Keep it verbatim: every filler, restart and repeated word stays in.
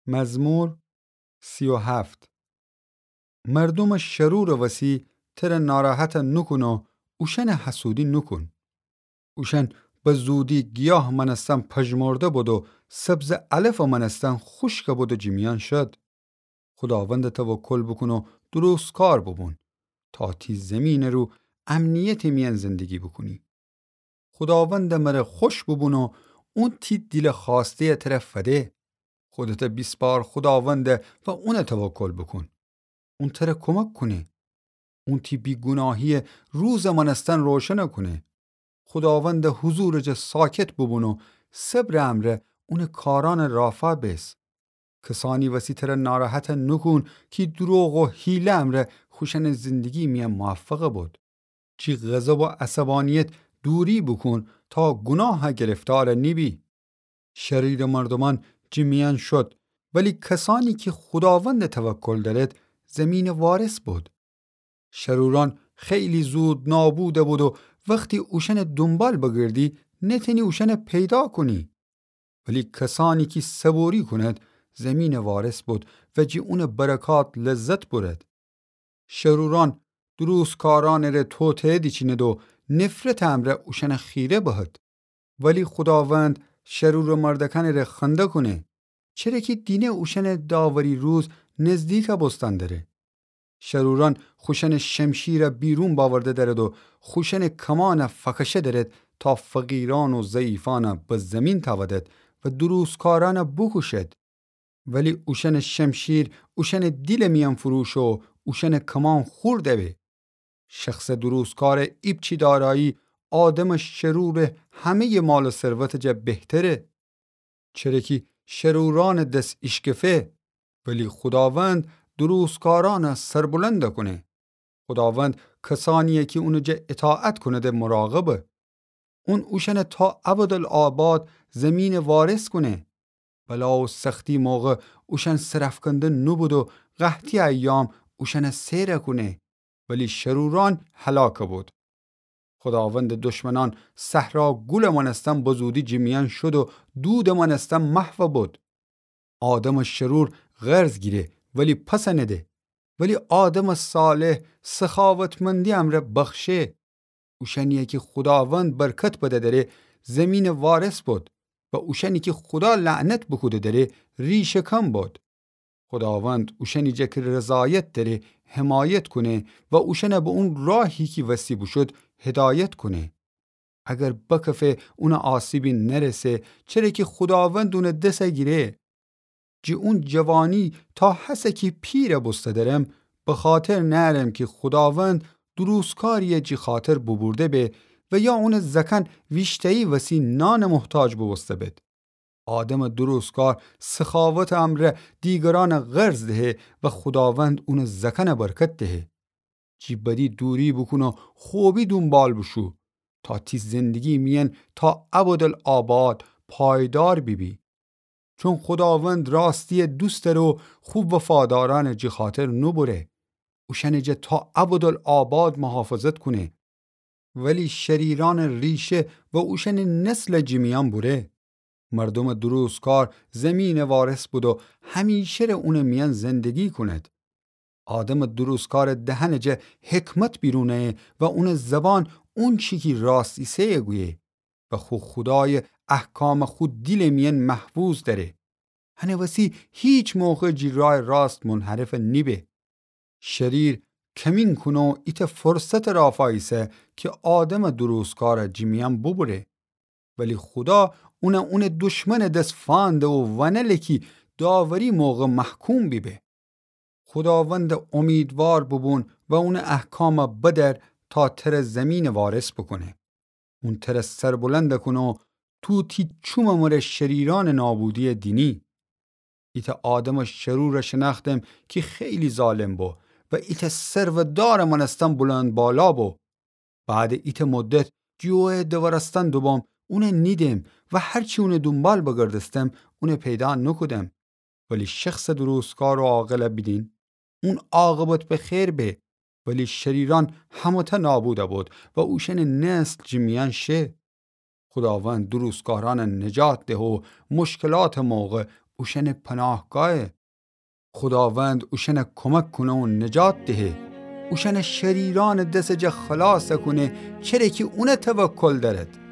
مزمور سی و هفت. مردومٚ شرورٚ وسی تره ناراحت نوکون و اوشأنٚ حسودی نوکون. اوشأن به زودی گیاهٚ مأنستن پژمرده بودو سبزٚ علفٚ مأنستن خوشک بودو جیمیأن شد. خوداوندٚ توکل بوکون و درستکار بوبون تا تی زیمینٚ رو امنیتٚ میأن زندگی بوکونی. خوداوندٚ مره خوش بوبون و اون تی دیلٚ خوأسته‌یٚ تره فده. خودتٚ بیسپار خوداونده و اونٚ توکل بوکون. اون تره کمک کونه. اون تی بیگوناهی‌یٚ روزٚ مأنستن روشن کونه. خوداوندٚ حضورٚ جا ساکت بوبون و صبرٚ امرأ اونٚ کارأنٚ رافا بیس. کسأنی وسی تره ناراحت نوکون کی دروغ و حیله امرأ خوشأنٚ زندگی میأن موفق بود. جی غضب و عصبانیت دوری بوکون تا گوناه گرفتار نیبی. شریرٚ مردومأن جیمیأن شد، ولی کسأنی کی خوداوندٚ توکل دأرد زیمینٚ وارث بود. شرورأن خیلی زود نابود بود و وختی اوشأنٚ دونبال بگردی نتأنی اوشأنٚ پیدا کونی. ولی کسأنی کی صبوری کونید زیمینٚ وارث بود و جی اونٚ برکات لذت بورد. شرورأن درستکارأنٚ ره توطئه دیچینید و نفرتٚ امرأ اوشأنٚ خیره بهد. ولی خوداوند شرورٚ مردأکأنٚ ره خنده کونه، چره کی دینه اوشأنٚ داوری روز نزدیک بوستن دره. شرورأن خوشأنٚ شمشیر بیرون بأورده دأرد و خوشأنٚ کمان فکشه دأرد تا فقیرأن و ضعیفأن به زیمین تأودد و درستکارأن بوکوشد. ولی اوشأنٚ شمشیر اوشأنٚ دیلٚ میأن فروشه و اوشأنٚ کمان خورد به. شخصٚ درستکارٚ ایپچی دارایی آدمٚ شرورٚ همه‌یٚ مال و ثروتٚ جا بهتره. چره کی شرورأنٚ دس ایشکفه، ولی خوداوند درستکارأن سربلند کونه. خوداوند کسأنی‌یه کی اونٚ جا اطاعت کونده مراقبه. اون اوشأن تا ابدالآباد زیمین وارث کونه. بلا و سختی موقع اوشأن سرافکنده نوبود و قحطی ایام اوشأن سیر کونه، ولی شرورأن هلاک بود. خوداوندٚ دشمنأن صحرا گولٚ مأنستن بزودی جیمیأن شد و دودٚ مأنستن محو بود. آدمٚ شرور قرض گیره ولی پس نده، ولی آدمٚ صالح سخاوتمندی امرأ بخشه. اوشأنی‌یه کی خوداوند برکت بده دره زیمین وارث بود و اوشأنی کی خودا لعنت بوکوده دره ریشه‌کن بود. خوداوند اوشأنی جا کی رضایت دره حمایت کونه و اوشأن به اون راهی کی وستی بوشود هدایت کونه. اگر بکفه اون آسیبی نرسه، چره کی خوداوند اون دس گیره. جی اون جوانی تا هسه کی پیر بوسته درم، بخاطر نأرم کی خوداوند دروستکاری‌یه جی خاطر بوبورده به و یا اونٚ زأکأن ویشتایی وسی نانٚ محتاج بوبوسته بید. آدمٚ دروستکار سخاوتٚ امرأ دیگرأن قرض دهه و خوداوند اونٚ زأکأن برکت دهه. جی بدی دوری بوکون و خوبی دونبال بوشو تا تی زندگی میأن تا ابدالآباد پایدار بیبی. چون خوداوند راستی دوست دأره و خو وفادارأن جی خاطر نوبره. اوشأنٚ جا تا ابدالآباد محافظت کونه. ولی شریرأنٚ ریشه و اوشأنٚ نسل جی میأن بوره. مردومٚ دروستکار زیمینٚ وارث بود و همیشه ره اونٚ میأن زندگی کونید. آدمٚ دروستکارٚ دهنٚ جا حکمت بیرون ایه و اونٚ زبان اونچی کی راست ایسه‌یه گویه و خو خودایٚ احکام خو دیلٚ میأن محفوظ دأره. هنٚ وسی هیچ موقع جی رایٚ راست منحرف نیبه. شریر کمین کونه و ایتأ فرصتٚ رافا ایسه کی آدمٚ دروستکار جی میأن بوبوره. ولی خودا اون اونٚ دشمنٚ دس فأنده و ونله کی داوری موقع محکوم بیبه. خوداوندٚ امیدوار بوبون و اونٚ احکام بدأر تا تر زیمین وارث بوکونه. اون تر سربلند کونه و تو تی چومٚ مره شریرأنٚ نابودی دینی. ایتأ آدمٚ شرور شنأختم کی خیلی ظالم بو و ایتأ سرودارٚ مأنستن بلندبالا بو. بعدٚ ایتأ مدت جی اویه دورستن دوبوم، اون نیدم و هرچی اون دونبال بگردستم، اون پیدا نوکودم. ولی شخصٚ دروستکار و عاقل بیدین، اون عاقبت به خیر به، ولی شریرأن همه‌تأ نابود بید و اوشأنٚ نسل جی میأن شه. خوداوند دروستکارأن نجات دهه و مشکلاتٚ موقع اوشأنٚ پناهگاهه. خوداوند اوشأنَ کمک کونه و نجات دهه. اوشأنَ شریرأنٚ دسٚ جا خلاص کونه، چره کی اونَ توکل دأرد.